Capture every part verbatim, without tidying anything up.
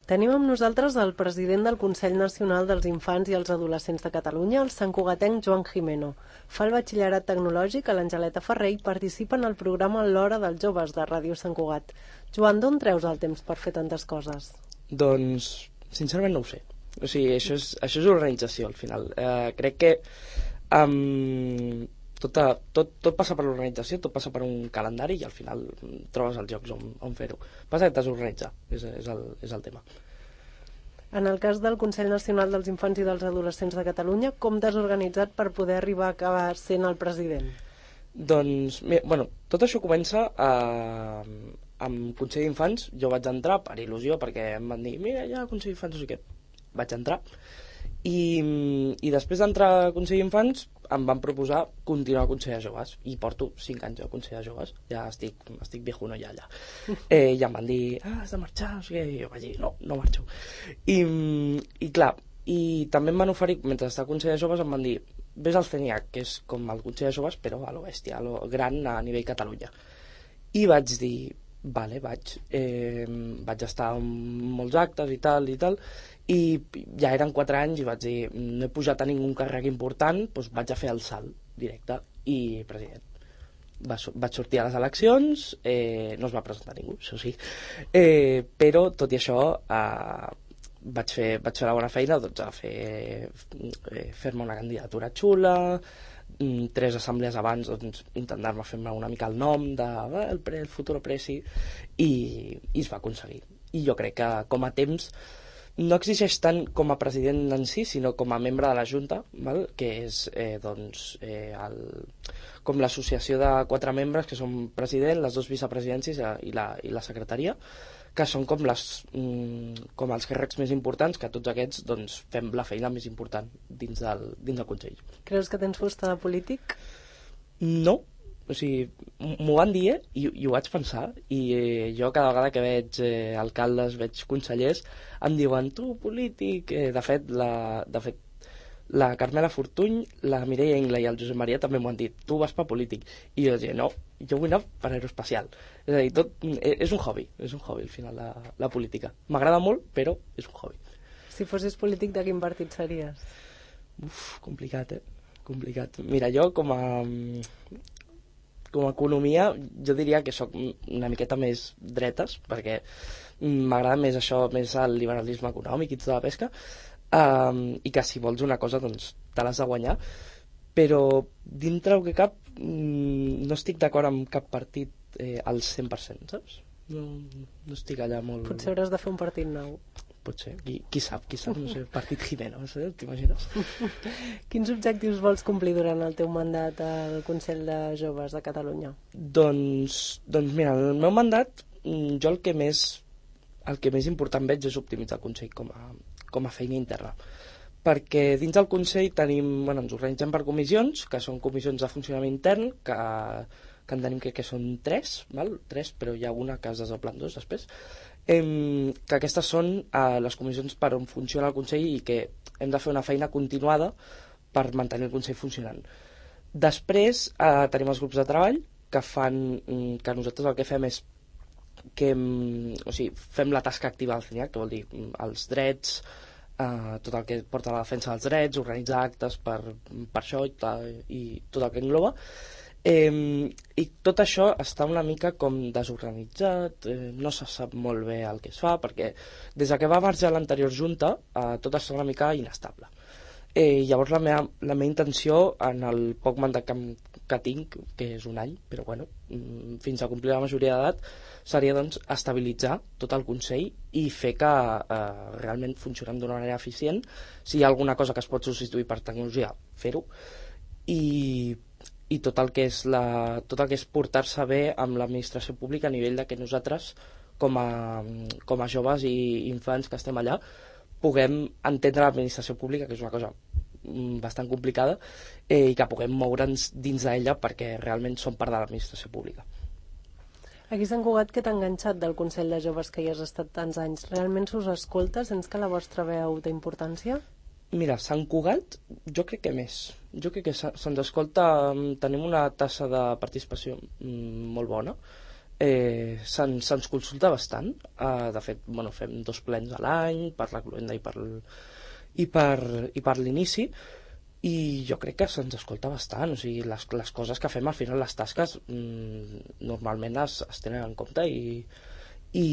Tenim amb nosaltres el president del Consell Nacional dels Infants i els Adolescents de Catalunya, el santcugatenc Joan Gimeno. Fa el batxillerat tecnològic a l'Angeleta Ferrer i participa en el programa L'Hora dels Joves de Ràdio Sant Cugat. Joan, d'on treus el temps per fer tantes coses? Doncs, sincerament no ho sé. O sigui, això és, això és organització, al final. Eh, crec que um, tot, tot, tot passa per l'organització, tot passa per un calendari i al final trobes els llocs on, on fer-ho. Passa que t'has d'organitzar, és, és, el, és el tema. En el cas del Consell Nacional dels Infants i dels Adolescents de Catalunya, com t'has organitzat per poder arribar a acabar sent el president? Doncs, mira, bueno, tot això comença a, amb Consell d'Infants. Jo vaig entrar per il·lusió, perquè em van dir, mira, ja Consell d'Infants, no sé què. Vaig entrar i, i després d'entrar a Consell d'Infants em van proposar continuar a Consell de Joves i porto cinc anys a Consell de Joves, ja estic, estic viejuno ja allà. Eh, ja em van dir, ah, has de marxar, no sé què, i jo vaig dir, no, no marxo. I, i clar, i també em van oferir, mentre estava a Consell de Joves, em van dir, ves al CENIAC, que és com el Consell de Joves, però a lo bèstia, a lo gran a nivell Catalunya. I vaig dir, vale, vaig, eh, vaig estar en molts actes i tal i tal, i ja eren quatre anys i vaig dir, no he pujat a ningun càrrec important, doncs vaig a fer el salt directe i president. Va, vaig sortir a les eleccions, eh, no es va presentar ningú, això sí, eh, però tot i això eh, vaig, fer, vaig fer la bona feina, doncs a fer, eh, fer-me una candidatura xula, tres assemblees abans, doncs, intentar-me fer-me una mica el nom de eh, el, pre, el futur presi i, i es va aconseguir. I jo crec que com a temps no exigeix tant com a president en si, sinó com a membre de la Junta, val? Que és eh, doncs, eh, el, com l'associació de quatre membres que són president, les dues vicepresidències i la, i la secretaria, que són com, les, mm, com els càrrecs més importants, que tots aquests doncs, fem la feina més important dins del, dins del Consell. Creus que tens fusta de polític? No. O sigui, m'ho van dir eh? I, i ho vaig pensar i eh, jo cada vegada que veig eh, alcaldes, veig consellers em diuen, tu polític eh, de fet, la, de fet la Carmela Fortuny, la Mireia Ingla i el Josep Maria també m'ho han dit, tu vas per polític, i jo dic, no, jo vull anar per aeroespacial. És a dir, tot, eh, és un hobby és un hobby al final la, la política, m'agrada molt però és un hobby. Si fossis polític, de quin partit series? Uf, complicat, eh? Complicat. Mira, jo com a com a economia jo diria que sóc una miqueta més dretes, perquè m'agrada més això, més el liberalisme econòmic i tota la pesca, um, i que si vols una cosa doncs te l'has de guanyar, però dintre el que cap no estic d'acord amb cap partit eh, al cent per cent, saps? No, no estic allà molt... Potser hauràs de fer un partit nou. Potser, qui, qui sap, qui sap, no sé, partit Gimeno, no sé, t'imagines? Quins objectius vols complir durant el teu mandat al Consell de Joves de Catalunya? Doncs, doncs mira, en el meu mandat jo el que més el que més important veig és optimitzar el Consell com a, com a feina interna, perquè dins del Consell tenim, bueno, ens organitzem per comissions, que són comissions de funcionament intern, que, que en tenim que, que són tres, val? tres, però hi ha una que es desdobla en dos després, eh, que aquestes són eh, les comissions per on funciona el Consell i que hem de fer una feina continuada per mantenir el Consell funcionant. Després eh, tenim els grups de treball que fan que nosaltres el que fem és que o sigui, fem la tasca activa del CENIAC, que vol dir els drets, eh, tot el que porta a la defensa dels drets, organitzar actes per, per això i, i tot el que engloba. Eh, i tot això està una mica com desorganitzat, eh, no se sap molt bé el que es fa, perquè des que va marxar l'anterior junta eh, tot està una mica inestable. Eh, llavors la meva, la meva intenció en el poc mandat que, que tinc, que és un any, però bueno, fins a complir la majoria d'edat, seria doncs estabilitzar tot el Consell i fer que eh, realment funcionem d'una manera eficient. Si hi ha alguna cosa que es pot substituir per tecnologia, fer-ho, i i tot el que és, la, tot el que és portar-se bé amb l'administració pública a nivell de que nosaltres com a, com a joves i infants que estem allà puguem entendre l'administració pública, que és una cosa bastant complicada, eh, i que puguem moure'ns dins d'ella perquè realment som part de l'administració pública. Aquí a Sant Cugat, què t'ha enganxat del Consell de Joves que hi has estat tants anys? Realment s'us escolta? Sents que la vostra veu té importància? Mira, Sant Cugat jo crec que més. Jo crec que se'ns escolta, tenim una tassa de participació molt bona, eh, se'ns se consulta bastant. Uh, de fet, bueno, fem dos plens a l'any per la cloenda i per, i per, i per l'inici, i jo crec que se'ns escolta bastant. O sigui, les, les coses que fem al final, les tasques, mmm, normalment es, es tenen en compte i, i,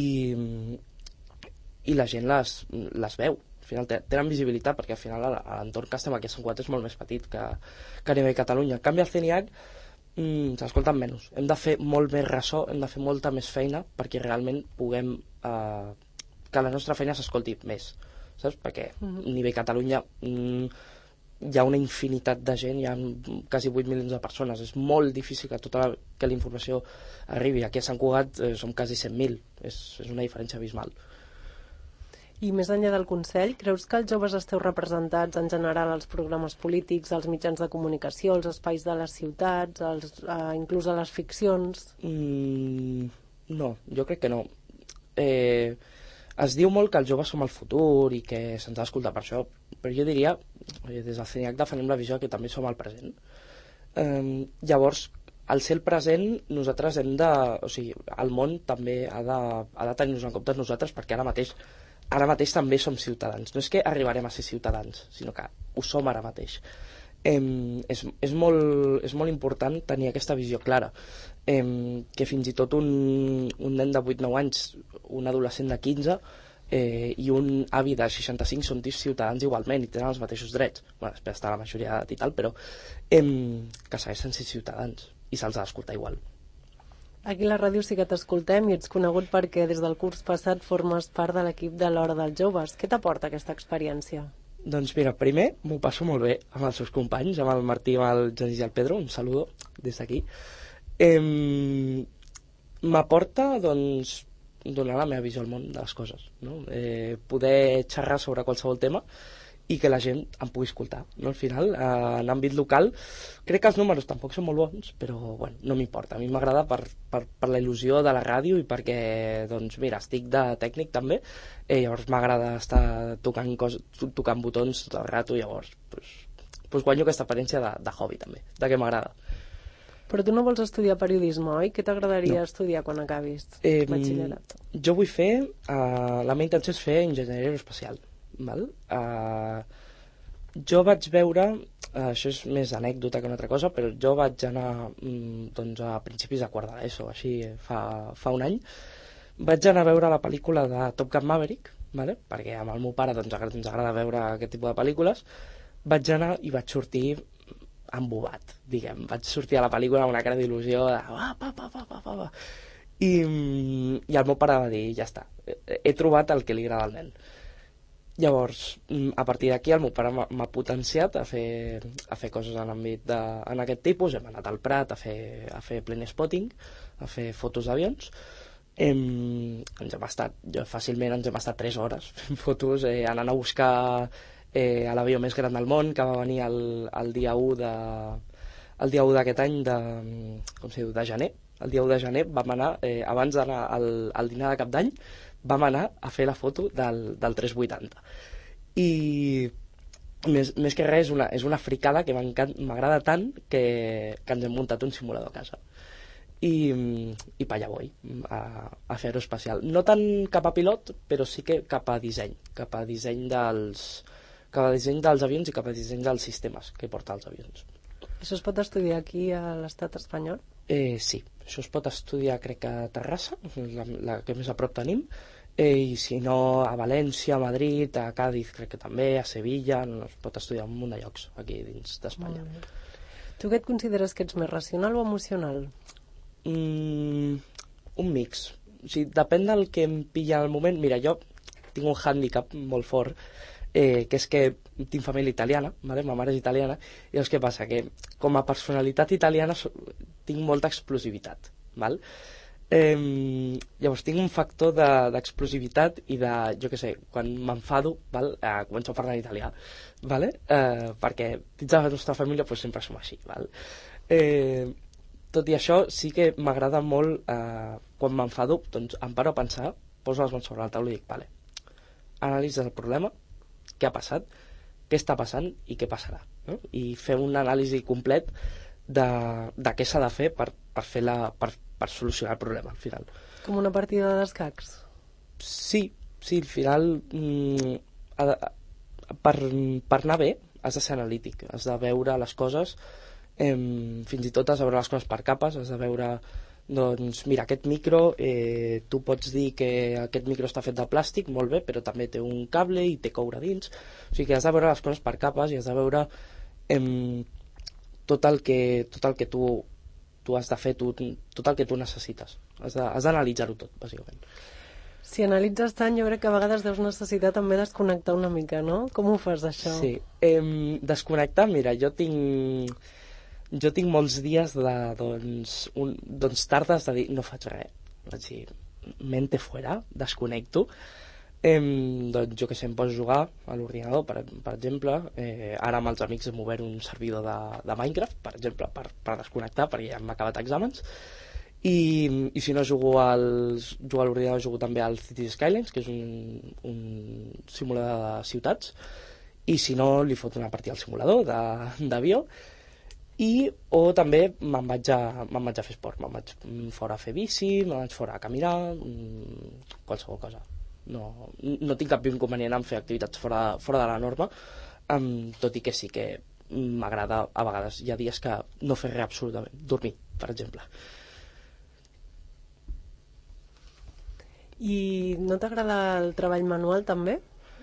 i la gent les, les veu. Al final tenen visibilitat, perquè al final l'entorn que estem aquí a Sant Cugat és molt més petit que, que a nivell Catalunya. En canvi, al C N I H mm, s'escolten menys. Hem de fer molt més ressò, hem de fer molta més feina perquè realment puguem eh, que la nostra feina s'escolti més, saps? Perquè a nivell Catalunya mm, hi ha una infinitat de gent, hi ha quasi vuit milions de persones, és molt difícil que tota la, que la informació arribi. Aquí a Sant Cugat eh, som quasi cent mil, és, és una diferència abismal. I més enllà del Consell, creus que els joves esteu representats en general als programes polítics, als mitjans de comunicació, als espais de les ciutats, als, eh, inclús a les ficcions? Mm, no, jo crec que no. Eh, es diu molt que els joves som el futur i que se'ns ha d'escoltar per això, però jo diria, des del C N I H defenem la visió que també som el present. Eh, llavors, al ser el present, nosaltres hem de... O sigui, el món també ha de, ha de tenir-nos en compte nosaltres, perquè ara mateix ara mateix també som ciutadans. No és que arribarem a ser ciutadans, sinó que ho som ara mateix. Eh, és, és, molt, és molt important tenir aquesta visió clara, eh, que fins i tot un, un nen de vuit nou anys, un adolescent de quinze eh, i un avi de seixanta-cinc són ciutadans igualment i tenen els mateixos drets. Bueno, després està la majoria d'edat i tal, però eh, que segueixen sent ciutadans i se'ls ha d'escoltar igual. Aquí a la ràdio sí que t'escoltem i ets conegut perquè des del curs passat formes part de l'equip de l'Hora dels Joves. Què t'aporta aquesta experiència? Doncs mira, primer m'ho passo molt bé amb els seus companys, amb el Martí, amb el Genís i el Pedro, un saludo des d'aquí. Eh, m'aporta, doncs, donar la meva visió al món de les coses, no? Eh, poder xerrar sobre qualsevol tema i que la gent em pugui escoltar, no? Al final, eh, en àmbit local, crec que els números tampoc són molt bons, però bueno, no m'importa. A mi m'agrada per, per, per la il·lusió de la ràdio i perquè, doncs mira, estic de tècnic també, eh, llavors m'agrada estar tocant, cos, tocant botons tot el rato, llavors pues, pues guanyo aquesta experiència de, de hobby també, de què m'agrada. Però tu no vols estudiar periodisme, oi? Què t'agradaria No. estudiar quan acabis Eh, batxillerat? jo vull fer, eh, la meva intenció és fer enginyeria aeroespacial. Val? Uh, jo vaig veure, uh, això és més anècdota que una altra cosa, però jo vaig anar mm, doncs a principis de quart de l'ESO, així fa, fa un any, vaig anar a veure la pel·lícula de Top Gun Maverick, vale? Perquè amb el meu pare doncs, ens agrada veure aquest tipus de pel·lícules. Vaig anar i vaig sortir embobat, diguem. Vaig sortir a la pel·lícula amb una cara d'il·lusió de ah, pa, pa, pa, pa, pa, pa. I, i el meu pare va dir, ja està, he trobat el que li agrada al nen. Llavors, a partir d'aquí el meu pare m'ha potenciat a fer, a fer coses en l'àmbit de, en aquest tipus. Hem anat al Prat a fer, a fer plane spotting, a fer fotos d'avions. Hem, ens hem estat, jo, fàcilment ens hem estat tres hores fent fotos, eh, anant a buscar eh, a l'avió més gran del món, que va venir el, el dia u de, el dia u d'aquest any de, com se diu, de gener. El dia u de gener vam anar, eh, abans d'anar al, al dinar de cap d'any, vam anar a fer la foto del, del tres vuitanta. I més, més que res és una, és una fricada que m'agrada tant que, que ens hem muntat un simulador a casa. I, i pa allà vull, a, a fer aeroespacial. No tant cap a pilot, però sí que cap a disseny, cap a disseny dels, cap a disseny dels avions i cap a disseny dels sistemes que porta els avions. Això es pot estudiar aquí a l'estat espanyol? Eh, sí, això es pot estudiar crec a Terrassa, la, la que més a prop tenim, eh, i si no a València, a Madrid, a Càdiz crec que també, a Sevilla, no, es pot estudiar en un munt de llocs aquí dins d'Espanya. Tu què et consideres que ets més racional o emocional? Mm, un mix. O sigui, depèn del que em pilla al moment. Mira, jo tinc un hàndicap molt fort, eh, que és que tinc família italiana, vale? Ma mare és italiana, i llavors què passa? Que com a personalitat italiana so, tinc molta explosivitat, val? Eh, llavors tinc un factor d'explosivitat de, i de, jo què sé, quan m'enfado, val? Eh, començo a parlar en italià, vale? Eh, perquè dins de la nostra família pues, sempre som així, val? Eh, tot i això sí que m'agrada molt, eh, quan m'enfado, doncs em paro a pensar, poso les mans sobre la taula i dic, vale, analitza el problema, què ha passat, què està passant i què passarà, no? I fer un anàlisi complet de, de què s'ha de fer per, per, fer la, per, per solucionar el problema al final. Com una partida d'escacs? Sí, sí, al final mm, ha de, per, per anar bé has de ser analític, has de veure les coses, eh, fins i tot has de veure les coses per capes, has de veure, doncs mira, aquest micro, eh, tu pots dir que aquest micro està fet de plàstic, molt bé, però també té un cable i té coure dins, o sigui que has de veure les coses per capes i has de veure eh, tot el que, tot el que tu, tu has de fer, tu, tot el que tu necessites, has d'analitzar-ho tot, bàsicament. Si analitzes tant, jo crec que a vegades deus necessitar també desconnectar una mica, no? Com ho fas, això? Sí, eh, desconnectar, mira, jo tinc jo tinc molts dies de, doncs, un, doncs tardes de dir, no faig res, vaig dir, mente fuera, desconnecto, eh, doncs jo que sé, em poso a jugar a l'ordinador, per, per exemple, eh, ara amb els amics hem obert un servidor de, de Minecraft, per exemple, per, per desconnectar, perquè ja hem acabat exàmens, I, i si no jugo, als, jugo a l'ordinador, jugo també al Cities Skylines, que és un, un simulador de ciutats, i si no li foto una partida al simulador d'avió, i o també me'n vaig, a, me'n vaig a fer esport, me'n vaig fora a fer bici, me'n vaig fora a caminar, qualsevol cosa. No, no tinc cap inconvenient en fer activitats fora, fora de la norma, um, tot i que sí que m'agrada a vegades. Hi ha dies que no fer res absolutament, dormir, per exemple. I no t'agrada el treball manual també?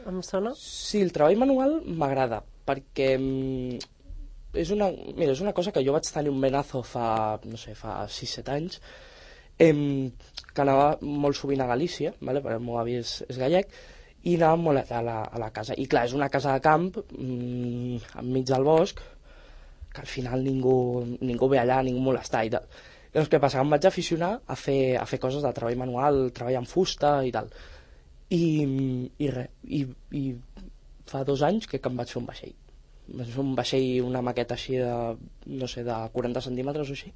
Em sona? Sí, el treball manual m'agrada perquè és una, mira, és una cosa que jo vaig tenir un menazo fa, no sé, fa sis set anys, em, que anava molt sovint a Galícia, vale? Perquè el meu avi és, és gallec, i anava molt a la, a la casa. I clar, és una casa de camp, mmm, enmig del bosc, que al final ningú, ningú ve allà, ningú molestar i tal. Llavors, què passa? Em vaig aficionar a fer, a fer coses de treball manual, treball en fusta i tal. I, i res, i, i fa dos anys que, que em vaig fer un vaixell. Vaig fer un vaixell, una maqueta així de, no sé, de quaranta centímetres o així,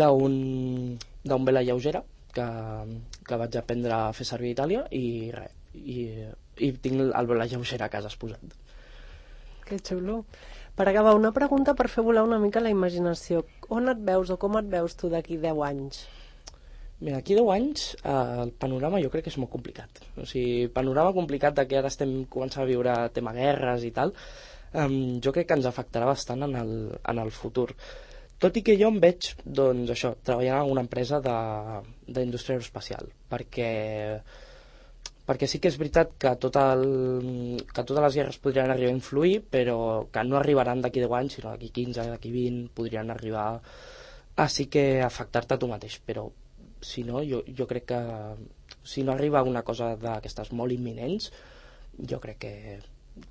d'un vela lleugera que, que vaig aprendre a fer servir a Itàlia i res, i, i tinc el vela lleugera a casa exposat. Que xulo. Per acabar, una pregunta per fer volar una mica la imaginació. On et veus o com et veus tu d'aquí deu anys? Mira, d'aquí deu anys eh, el panorama jo crec que és molt complicat. O sigui, panorama complicat de que ara estem començant a viure tema guerres i tal, eh, jo crec que ens afectarà bastant en el, en el futur. Tot i que jo em veig, doncs això, treballant en una empresa d'indústria aeroespacial, perquè perquè sí que és veritat que, tot el, que totes les guerres podrien arribar a influir, però que no arribaran d'aquí deu anys, sinó d'aquí quinze, d'aquí vint, podrien arribar a sí que afectar-te a tu mateix, però si no, jo, jo crec que si no arriba una cosa d'aquestes molt imminents, jo crec que,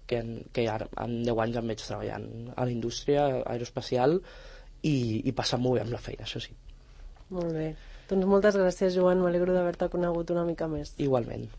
que, que ara, en deu anys em veig treballant a la indústria aeroespacial i, i passant molt bé amb la feina, això sí. Molt bé. Doncs moltes gràcies, Joan, m'alegro d'haver-te conegut una mica més. Igualment.